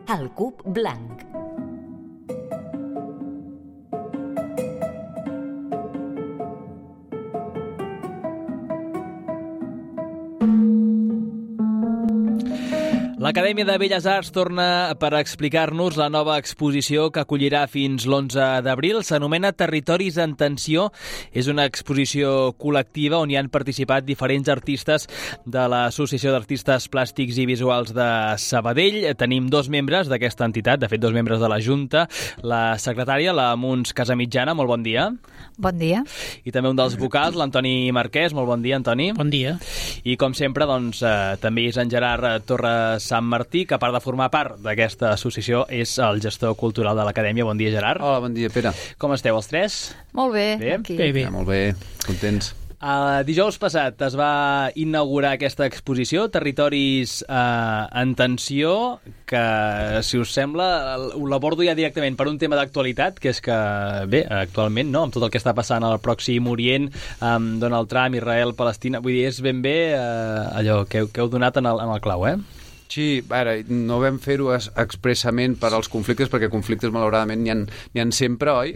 El Cub Blanc. L'Acadèmia de Belles Arts torna per explicar-nos la nova exposició que acollirà fins l'11 d'abril. S'anomena Territoris en tensió. És una exposició col·lectiva on hi han participat diferents artistes de l'Associació d'Artistes Plàstics i Visuals de Sabadell. Tenim dos membres d'aquesta entitat, de fet dos membres de la Junta. La secretària, la Muns Casamitjana, molt bon dia. Bon dia. I també un dels vocals, l'Antoni Marquès. Molt bon dia, Antoni. Bon dia. I com sempre, doncs, també és en Gerard Torres Sant Martí, que a part de formar part d'aquesta associació és el gestor cultural de l'Acadèmia. Bon dia, Gerard. Hola, bon dia, Pere. Com esteu, els tres? Molt bé, Bé? aquí. Bé. Ja, molt bé, contents. Dijous passat es va inaugurar aquesta exposició, Territoris en tensió, que, si us sembla, l'abordo ja directament per un tema d'actualitat, que és que, bé, actualment, no?, amb tot el que està passant al Pròxim Orient, amb Donald Trump, Israel, Palestina, vull dir, és ben bé allò que heu donat en el clau, Sí, ara, no vam fer-ho expressament per als conflictes, perquè conflictes, malauradament, n'hi ha sempre, oi?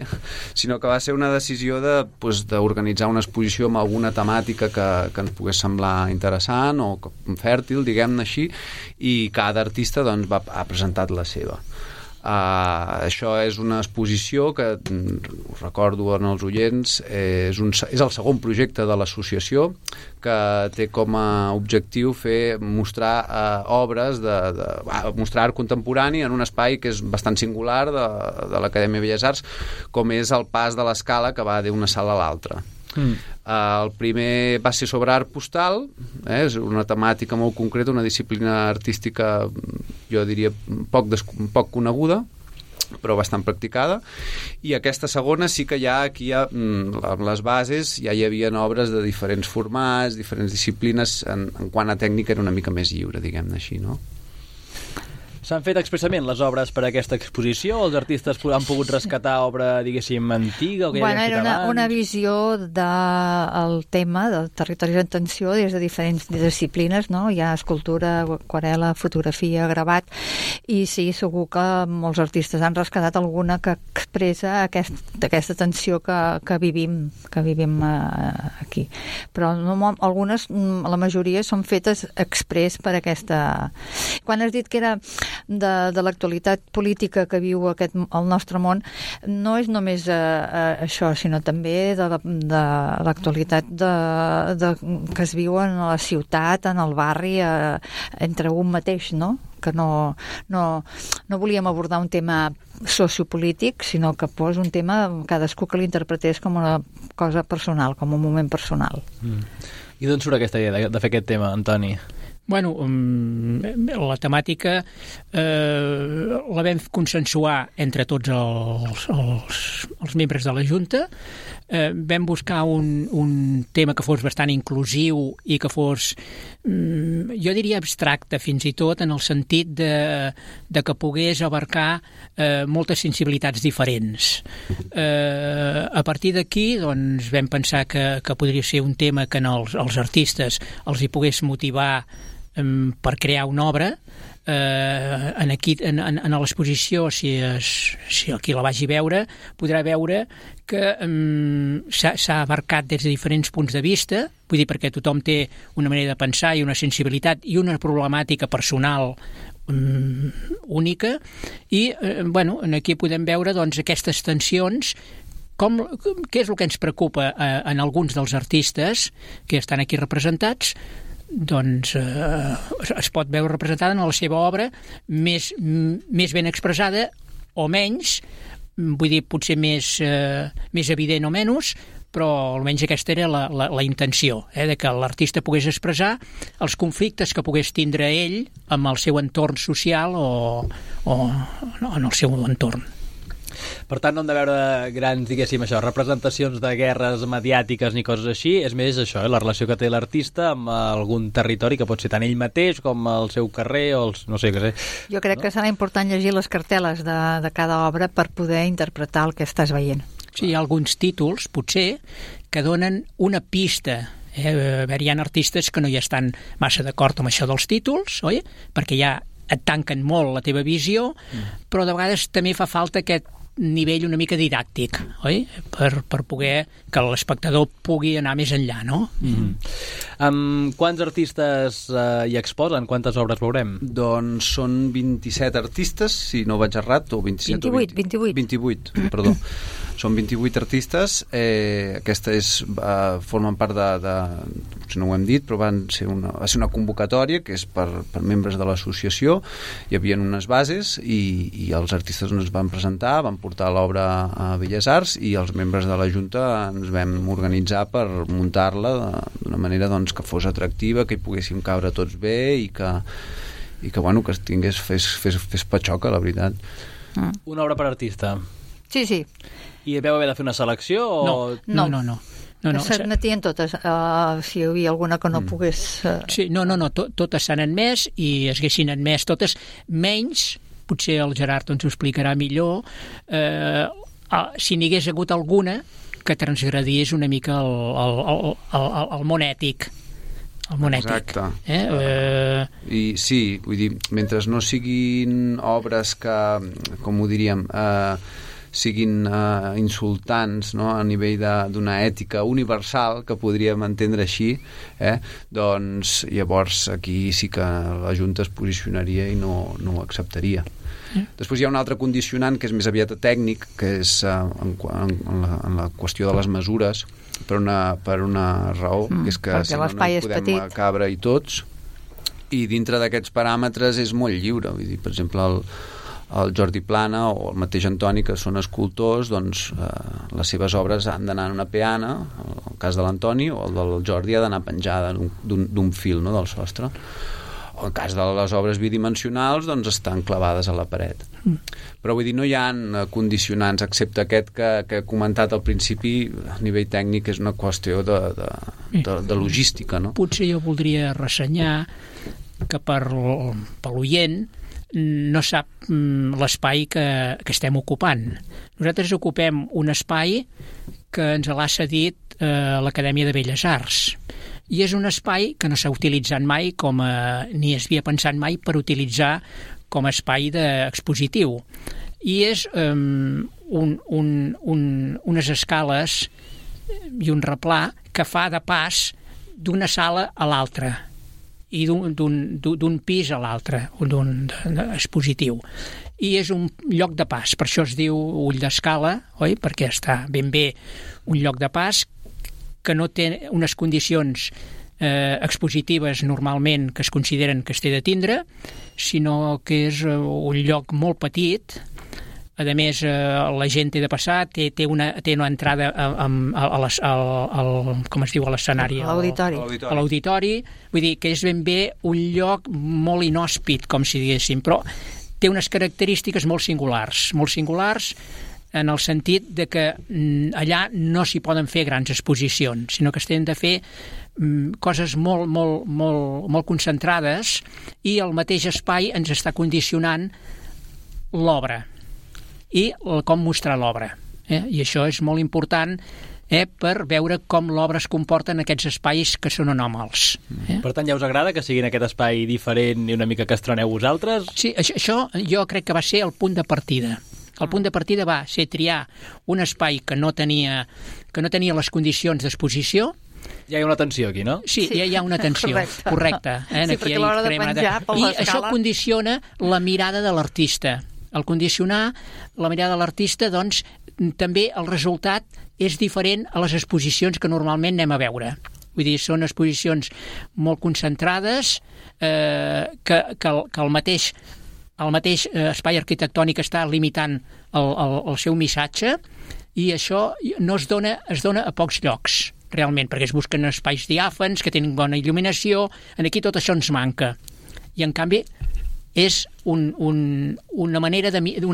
Sinó que va ser una decisió d'organitzar una exposició amb alguna temàtica que ens pogués semblar interessant o fèrtil, diguem-ne així, i cada artista doncs, ha presentat la seva. Això és una exposició que, us recordo en els oients, és el segon projecte de l'associació, que té com a objectiu mostrar obres, mostrar art contemporani en un espai que és bastant singular de l'Acadèmia de Belles Arts, com és el pas de l'escala que va d'una sala a l'altra. El primer va ser sobre art postal, és una temàtica molt concreta, una disciplina artística, jo diria, poc coneguda, però bastant practicada, i aquesta segona sí que aquí amb les bases ja hi havia obres de diferents formats, diferents disciplines, en quant a tècnica era una mica més lliure, diguem-ne així, no? S'han fet expressament les obres per a aquesta exposició o els artistes han pogut rescatar obra, diguéssim, antiga? O que Era una visió del tema del territori en tensió des de diferents disciplines, no? Hi ha escultura, aquarel·la, fotografia, gravat, i sí, segur que molts artistes han rescatat alguna que expressa aquesta tensió que vivim aquí. Però algunes, la majoria, són fetes exprés per aquesta... Quan has dit que era de l'actualitat política que viu el nostre món, no és només això, sinó també de l'actualitat que es viu en la ciutat, en el barri, entre un mateix, no? Que no volíem abordar un tema sociopolític, sinó que fos un tema cadascú que l'interpretés com una cosa personal, com un moment personal. I d'on surt aquesta idea de fer aquest tema, Antoni? Bueno, la temàtica la vam consensuar entre tots els membres de la Junta. Vam buscar un tema que fos bastant inclusiu i que fos, jo diria, abstracte fins i tot, en el sentit de que pogués abarcar moltes sensibilitats diferents. A partir d'aquí doncs, vam pensar que podria ser un tema que als artistes els hi pogués motivar per crear una obra. En l'exposició, si qui la vagi veure, podrà veure que s'ha abarcat des de diferents punts de vista, vull dir, perquè tothom té una manera de pensar i una sensibilitat i una problemàtica personal única, i aquí podem veure doncs, aquestes tensions. Què és el que ens preocupa en alguns dels artistes que estan aquí representats? Doncs es pot veure representada en la seva obra més ben expressada o menys, vull dir, potser més evident o menys, però almenys aquesta era la intenció, de que l'artista pogués expressar els conflictes que pogués tindre ell amb el seu entorn social o en el seu entorn. Per tant, no hem de veure grans, diguéssim, representacions de guerres mediàtiques ni coses així, és més això, la relació que té l'artista amb algun territori que pot ser tant ell mateix com el seu carrer o no sé què sé. Jo crec que serà important llegir les cartel·les de cada obra per poder interpretar el que estàs veient. Sí, hi ha alguns títols, potser, que donen una pista. Hi ha artistes que no hi estan massa d'acord amb això dels títols, oi? Perquè hi ha et tanquen molt la teva visió, però de vegades també fa falta aquest nivell una mica didàctic, oi? Per poder que l'espectador pugui anar més enllà, no? Quants artistes hi exposen? Quantes obres veurem? Doncs són 27 artistes, si no vaig errat, o 27 28, perdó. Són 28 artistes, aquesta formen part si no ho hem dit, però va ser una convocatòria que és per membres de l'associació. Hi havia unes bases i els artistes ens van presentar, van portar l'obra a Belles Arts i els membres de la Junta ens vam organitzar per muntar-la d'una manera doncs, que fos atractiva, que hi poguéssim caure tots bé i que fes patxoca, la veritat. Una obra per artista. Sí. I vau haver de fer una selecció? No. S'admetien totes, si hi havia alguna que no pogués... Sí, totes s'han admès i es haguessin admès totes, menys, potser el Gerard ens ho explicarà millor, si n'hi hagués hagut alguna que transgredís una mica el món ètic. El món ètic. I sí, vull dir, mentre no siguin obres que, com ho diríem, siguin insultants, no? A nivell d'una ètica universal, que podríem entendre així, doncs llavors aquí sí que la Junta es posicionaria i no ho acceptaria. Després hi ha un altre condicionant que és més aviat tècnic, que és en la qüestió de les mesures, per una raó, que és que si no hi podem cabre i tots, i dintre d'aquests paràmetres és molt lliure. Vull dir, per exemple, el Jordi Plana o el mateix Antoni, que són escultors, doncs les seves obres han d'anar en una peana, el cas de l'Antoni, o el del Jordi ha d'anar penjada d'un fil, no?, del sostre. O el cas de les obres bidimensionals, doncs estan clavades a la paret. Però vull dir, no hi ha condicionants, excepte aquest que he comentat al principi, a nivell tècnic és una qüestió de logística, no? Potser jo voldria ressenyar que per l'oient no sap l'espai que estem ocupant. Nosaltres ocupem un espai que ens l'ha cedit l'Acadèmia de Belles Arts. I és un espai que no s'ha utilitzat mai ni es havia pensat mai per utilitzar com a espai expositiu. I és unes escales i un replà que fa de pas d'una sala a l'altra i d'un pis a l'altre, d'un expositiu. I és un lloc de pas, per això es diu ull d'escala, oi? Perquè està ben bé un lloc de pas que no té unes condicions expositives normalment que es consideren que es té de tindre, sinó que és un lloc molt petit. A més, la gent té de passar, té una entrada com es diu, a l'escenari? A l'auditori. A l'auditori. Vull dir que és ben bé un lloc molt inhòspit, com si diguéssim, però té unes característiques molt singulars en el sentit de que allà no s'hi poden fer grans exposicions, sinó que es tenen de fer coses molt concentrades, i el mateix espai ens està condicionant l'obra i com mostrar l'obra. I això és molt important per veure com l'obra es comporta en aquests espais que són anòmals. Per tant, ja us agrada que sigui en aquest espai diferent i una mica que estreneu vosaltres? Sí, això jo crec que va ser el punt de partida. El punt de partida va ser triar un espai que no tenia les condicions d'exposició. Ja hi ha una tensió aquí, no? Sí, ja hi ha una tensió, correcte. Sí, perquè a l'hora de penjar per l'escala... I això condiciona la mirada de l'artista. Al condicionar la mirada de l'artista, doncs, també el resultat és diferent a les exposicions que normalment anem a veure. Vull dir, són exposicions molt concentrades, que el mateix espai arquitectònic està limitant el seu missatge, i això es dona a pocs llocs, realment, perquè es busquen espais diàfans, que tenen bona il·luminació. Aquí tot això ens manca. I, en canvi, és una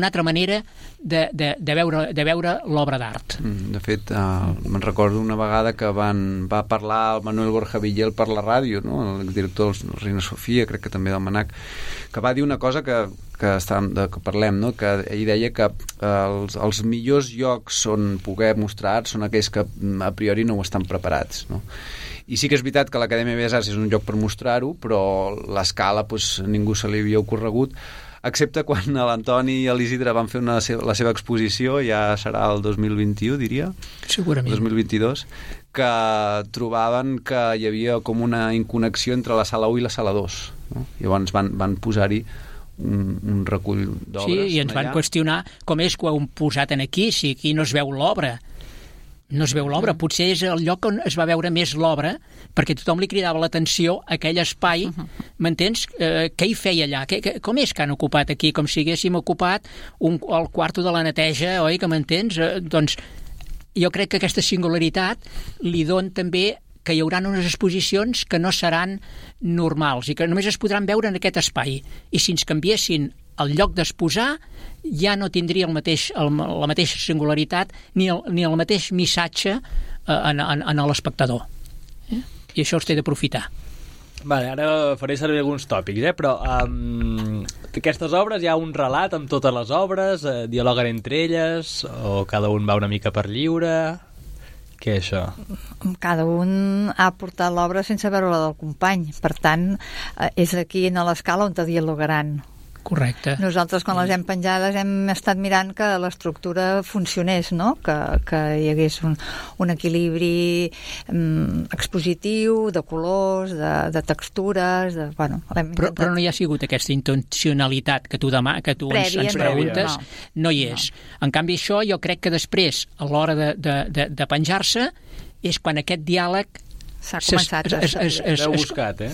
altra manera de veure l'obra d'art. De fet, me'n recordo una vegada que va parlar el Manuel Borja Villel per la ràdio, no? El director de Reina Sofia, crec que també del Manac, que va dir una cosa que parlem, no? Que ell deia que els millors llocs on poder mostrar art són aquells que a priori no ho estan preparats, no? I sí que és veritat que l'Acadèmia de Belles Arts és un lloc per mostrar-ho, però l'escala ningú se li havia ocorregut, excepte quan l'Antoni i l'Isidre van fer la seva exposició, ja serà el 2021, diria. Segurament. 2022, que trobaven que hi havia com una inconnexió entre la sala 1 i la sala 2. No? Llavors van posar-hi un recull d'obres. Sí, i ens van qüestionar com és que ho hem posat aquí, si aquí no es veu l'obra. No es veu l'obra, potser és el lloc on es va veure més l'obra, perquè tothom li cridava l'atenció a aquell espai, m'entens? Què hi feia allà? Com és que han ocupat aquí? Com si haguéssim ocupat el quarto de la neteja, oi, que m'entens? Doncs jo crec que aquesta singularitat li dona també que hi haurà unes exposicions que no seran normals i que només es podran veure en aquest espai. I si ens canviessin el lloc d'exposar, ja no tindria la mateixa singularitat ni el mateix missatge en l'espectador. I això els té d'aprofitar. Vale, ara faré servir alguns tòpics, però aquestes obres hi ha un relat amb totes les obres, dialoguen entre elles, o cada un va una mica per lliure? Què és això? Cada un ha portat l'obra sense veure la del company, per tant, és aquí a l'escala on te dialogaran. Correcte. Nosaltres, quan les hem penjades, hem estat mirant que l'estructura funcionés, no? Que hi hagués un equilibri expositiu, de colors, de textures... Bueno, però no hi ha sigut aquesta intencionalitat que tu ens preguntes, no hi és. En canvi, això jo crec que després, a l'hora de penjar-se, és quan aquest diàleg... S'ha començat a... L'heu buscat, eh?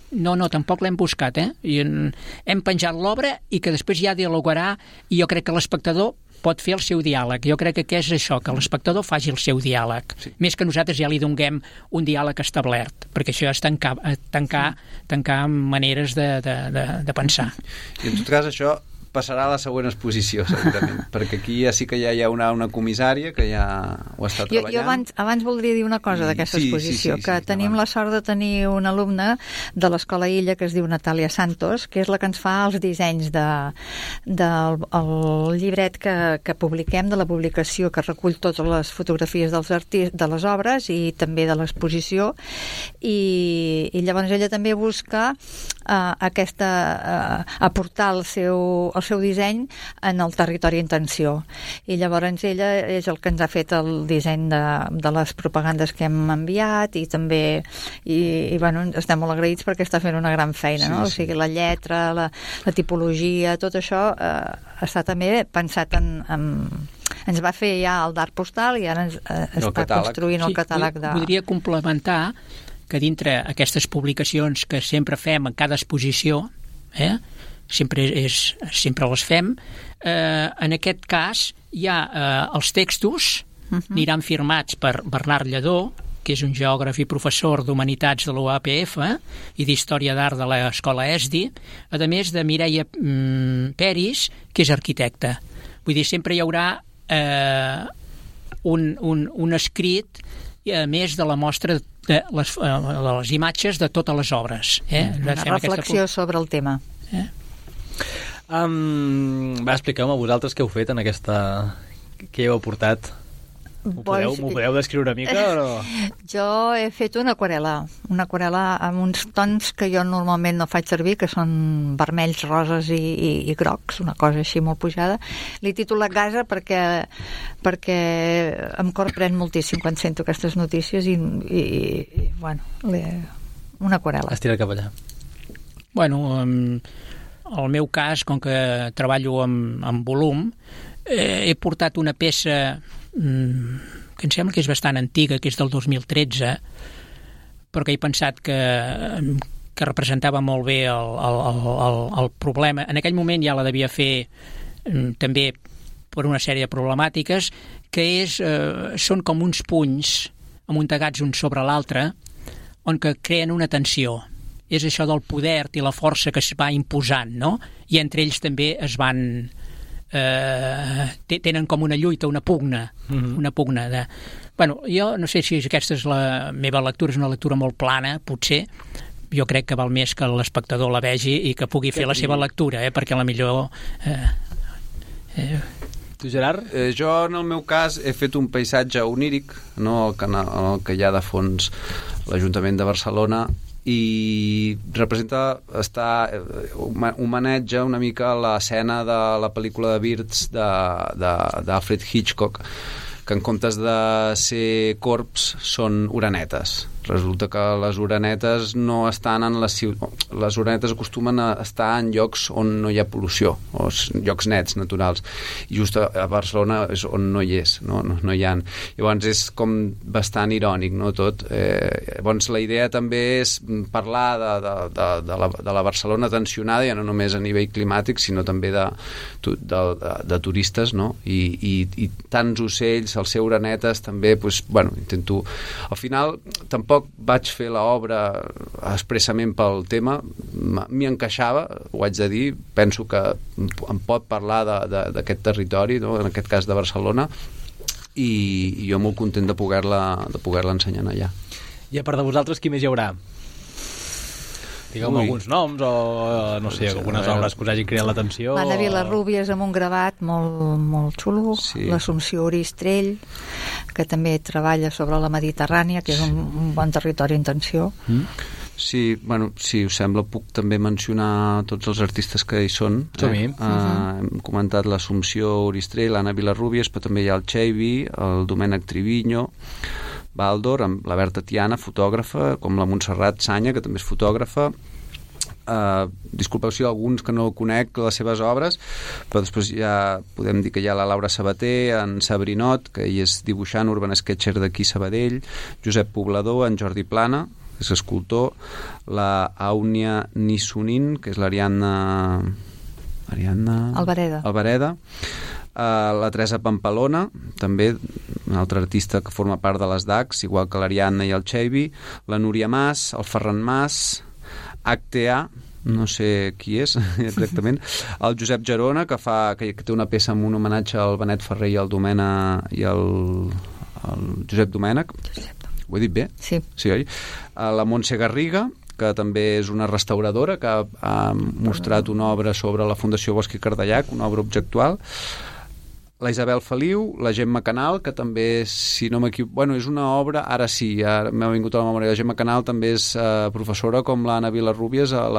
No, tampoc l'hem buscat, I hem penjat l'obra i que després ja dialogarà, i jo crec que l'espectador pot fer el seu diàleg. Jo crec que és això, que l'espectador faci el seu diàleg. Sí. Més que nosaltres ja li donem un diàleg establert, perquè això és tancar maneres de pensar. I en tot cas això passarà a la següent exposició, segurament, perquè aquí ja sí que ja hi ha una comissària que ja ho està treballant. Jo abans voldria dir una cosa d'aquesta exposició, que tenim la sort de tenir una alumna de l'Escola Illa que es diu Natàlia Santos, que és la que ens fa els dissenys del llibret que publiquem, de la publicació que recull totes les fotografies dels artistes, de les obres i també de l'exposició, i llavors ella també busca aportar el seu disseny en el territori en tensió, i llavors ella és el que ens ha fet el disseny de les propagandes que hem enviat, i també bueno, estem molt agraïts perquè està fent una gran feina, no? O sigui, la lletra, la tipologia, tot això està també pensat ens va fer ja el d'art postal i ara està construint el catàleg de... Podria complementar que dintre aquestes publicacions que sempre fem en cada exposició, sempre les fem, en aquest cas hi ha els textos, aniran firmats per Bernard Lledó, que és un geògraf i professor d'Humanitats de l'UAPF i d'Història d'Art de l'Escola ESDI, a més de Mireia Peris, que és arquitecta. Vull dir, sempre hi haurà un escrit, a més de la mostra de les imatges de totes les obres. Una reflexió sobre el tema. Expliqueu-me vosaltres què heu fet en aquesta... Què heu aportat? M'ho podeu descriure una mica o no? Jo he fet una aquarel·la amb uns tons que jo normalment no faig servir, que són vermells, roses i grocs, una cosa així molt pujada. L'he titulat Gaza perquè em corprèn moltíssim quan sento aquestes notícies i bueno, una aquarel·la. Estira cap allà. Bueno, en el meu cas, com que treballo amb volum, he portat una peça que em sembla que és bastant antiga, que és del 2013, perquè he pensat que representava molt bé el problema. En aquell moment ja la devia fer també per una sèrie de problemàtiques, que són com uns punys amuntegats un sobre l'altre, on que creen una tensió. És això del poder i la força que es va imposant, no? I entre ells també es van... tenen com una lluita, una pugna, una pugna de... Bueno, jo no sé si aquesta és la meva lectura, és una lectura molt plana, potser. Jo crec que val més que l'espectador la vegi i que pugui fer la seva lectura, perquè a la millor... Tu, Gerard? Jo, en el meu cas, he fet un paisatge oníric, no? El que hi ha de fons l'Ajuntament de Barcelona, i homenatja una mica l'escena de la pel·lícula de Birds d'Alfred Hitchcock, que en comptes de ser corbs són orenetes. Resulta que les orenetes no estan en les orenetes acostumen a estar en llocs on no hi ha pol·lució, o llocs nets, naturals, i just a Barcelona és on no hi és, no hi ha. Llavors és com bastant irònic, no, tot. Llavors la idea també és parlar de la Barcelona tensionada, ja no només a nivell climàtic, sinó també de turistes, no? I tants ocells, al ser orenetes també, doncs, bueno, intento... Al final, tampoc vaig fer l'obra expressament pel tema, m'hi encaixava, ho haig de dir, penso que em pot parlar d'aquest territori, no? En aquest cas de Barcelona, i jo molt content de poder-la ensenyar allà. I a part de vosaltres, qui més hi haurà? Digueu-me alguns noms o, no sé, algunes obres que us hagin cridat l'atenció. L'Anna Vilarrúbies amb un gravat molt xulo, sí. L'Assumpció Oristrell, que també treballa sobre la Mediterrània, que és un bon territori en tensió. Sí, bueno, si us sembla puc també mencionar tots els artistes que hi són. Hem comentat l'Assumpció Oristrell, l'Anna Vilarrúbies, però també hi ha el Xeivi, el Domènec Triviño, Baldor, amb la Berta Tiana, fotògrafa, com la Montserrat Sanya, que també és fotògrafa. Disculpeu si alguns que no conec les seves obres, però després ja podem dir que hi ha la Laura Sabater, en Sabrinot, que ell és dibuixant, urban sketcher d'aquí Sabadell, Josep Poblador, en Jordi Plana, que és escultor, la Àunia Nissunin, que és l'Ariadna Albareda, la Teresa Pampalona, també una altra artista que forma part de les DACs, igual que l'Ariadna i el Xeivi, la Núria Mas, el Ferran Mas, HTA, no sé qui és exactament, el Josep Gerona, que té una peça amb un homenatge al Benet Ferrer i al Josep Domènech. Ho he dit bé? Sí. Sí, oi? La Montse Garriga, que també és una restauradora que ha mostrat una obra sobre la Fundació Bosch i Cardellac, una obra objectual. La Isabel Feliu, la Gemma Canal, que també, si no m'equivoco... Bueno, és una obra, ara sí, ara m'ha vingut a la memòria. La Gemma Canal també és professora, com l'Anna Vilarrúbies, a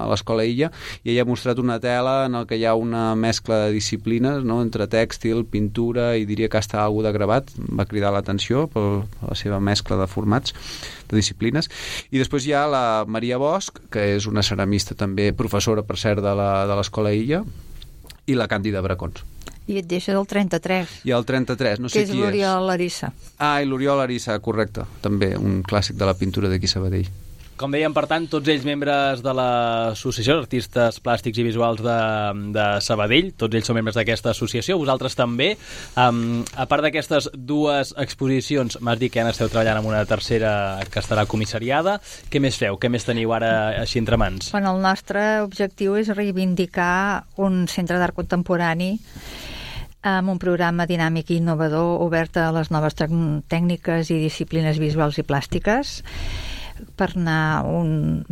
l'Escola Illa, i ella ha mostrat una tela en què hi ha una mescla de disciplines, no?, entre tèxtil, pintura, i diria que està algú de gravat. Va cridar l'atenció per la seva mescla de formats, de disciplines. I després hi ha la Maria Bosch, que és una ceramista també, professora, per cert, de l'Escola Illa, i la Càndida Bracons. I et deixa del 33. I el 33, no sé qui és. Que és l'Oriol Larissa. I l'Oriol Larissa, correcte. També un clàssic de la pintura d'aquí Sabadell. Com dèiem, per tant, tots ells membres de l'Associació d'Artistes Plàstics i Visuals de Sabadell, tots ells són membres d'aquesta associació, vosaltres també. A part d'aquestes dues exposicions, m'has dit que ja esteu treballant amb una tercera que estarà comissariada. Què més feu? Què més teniu ara així entre mans? Bueno, el nostre objectiu és reivindicar un centre d'art contemporani amb un programa dinàmic i innovador obert a les noves tècniques i disciplines visuals i plàstiques, per anar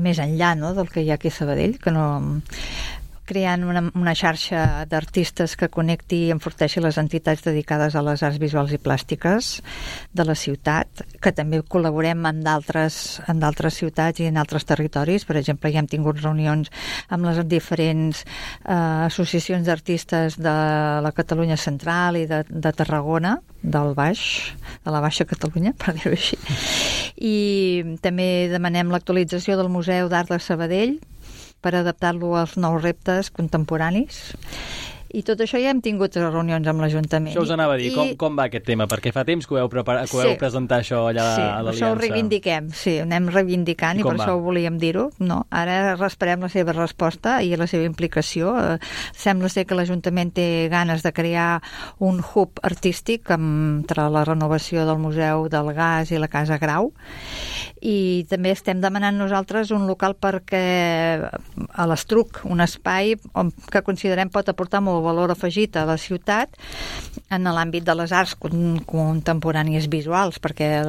més enllà, no?, del que hi ha aquí a Sabadell, que no... creant una xarxa d'artistes que connecti i enforteixi les entitats dedicades a les arts visuals i plàstiques de la ciutat, que també col·laborem en d'altres ciutats i en altres territoris. Per exemple, ja hem tingut reunions amb les diferents associacions d'artistes de la Catalunya Central i de Tarragona, de la Baixa Catalunya, per dir-ho així. I també demanem l'actualització del Museu d'Art de Sabadell per adaptar-lo als nous reptes contemporanis. I tot això ja hem tingut reunions amb l'Ajuntament. Això us anava a dir, com va aquest tema? Perquè fa temps que ho heu presentar això allà a l'Aliança. Sí, això ho reivindiquem, sí, ho anem reivindicant i per això ho volíem dir-ho. No, ara esperem la seva resposta i la seva implicació. Sembla ser que l'Ajuntament té ganes de crear un hub artístic entre la renovació del Museu del Gas i la Casa Grau, i també estem demanant nosaltres un local perquè a l'Estruc, un espai que considerem pot aportar molt molt valor afegit a la ciutat en l'àmbit de les arts contemporànies visuals, perquè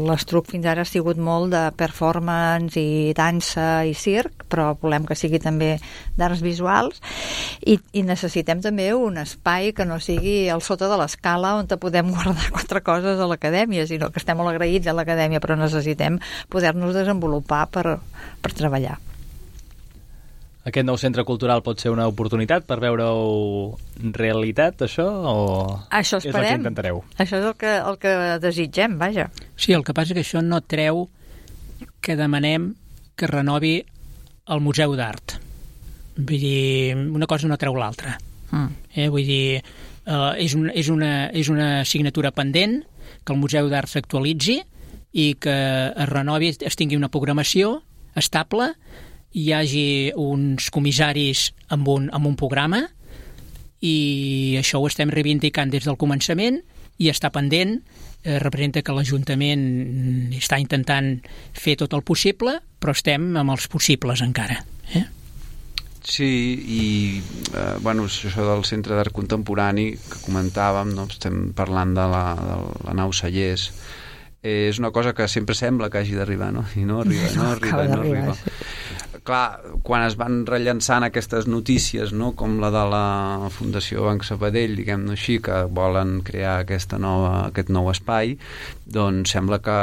l'Estruc fins ara ha sigut molt de performance i dansa i circ, però volem que sigui també d'arts visuals i necessitem també un espai que no sigui al sota de l'escala on podem guardar 4 coses a l'acadèmia, sinó que estem molt agraïts a l'acadèmia, però necessitem poder-nos desenvolupar per treballar. Aquest nou centre cultural pot ser una oportunitat per veure-ho realitat, això? O això esperem. És el que intentareu? Això és el que desitgem, vaja. Sí, el que passa que això no treu que demanem que renovi el Museu d'Art. Vull dir, una cosa no treu l'altra. Vull dir, és una assignatura pendent, que el Museu d'Art s'actualitzi i que es renovi, es tingui una programació estable, hi hagi uns comissaris amb un programa i això ho estem reivindicant des del començament i està pendent. Representa que l'Ajuntament està intentant fer tot el possible, però estem amb els possibles encara. Sí, i això del Centre d'Art Contemporani que comentàvem, no? Estem parlant de la nau Cellers, és una cosa que sempre sembla que hagi d'arribar, no? I no arriba. Clar, quan es van rellançant aquestes notícies, no? Com la de la Fundació Banc Sabadell, diguem-ne així, que volen crear aquest nou espai, doncs sembla que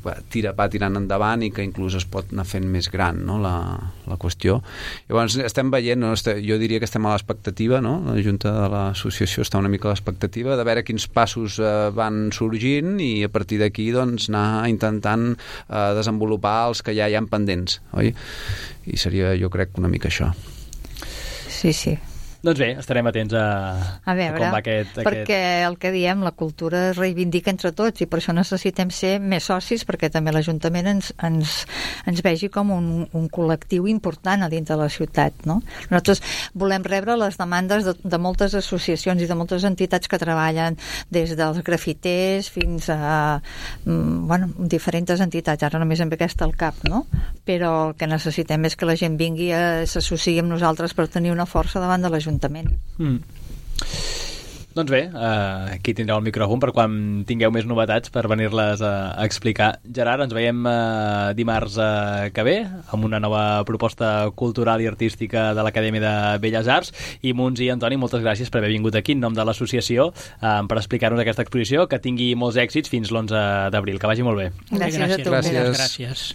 va tirant endavant i que inclús es pot anar fent més gran, no? la qüestió. Llavors estem veient, no? Jo diria que estem a l'expectativa, no? La Junta de l'Associació està una mica a l'expectativa de veure quins passos van sorgint i a partir d'aquí doncs, anar intentant desenvolupar els que ja hi ha pendents, oi? I seria, jo crec, una mica això. Sí. Doncs bé, estarem atents a veure, com va aquest... Perquè el que diem, la cultura es reivindica entre tots i per això necessitem ser més socis perquè també l'Ajuntament ens vegi com un col·lectiu important a dins de la ciutat, no? Nosaltres volem rebre les demandes de moltes associacions i de moltes entitats que treballen des dels grafiters fins a diferents entitats, ara només amb aquesta al cap, no? Però el que necessitem és que la gent vingui s'associï amb nosaltres per tenir una força davant de l'Ajuntament. Doncs bé, aquí tindreu el micròfon per quan tingueu més novetats per venir-les a explicar. Gerard, ens veiem dimarts que ve amb una nova proposta cultural i artística de l'Acadèmia de Belles Arts i Munts i Antoni, moltes gràcies per haver vingut aquí en nom de l'associació per explicar-nos aquesta exposició, que tingui molts èxits fins l'11 d'abril. Que vagi molt bé. Gràcies a tu. Gràcies.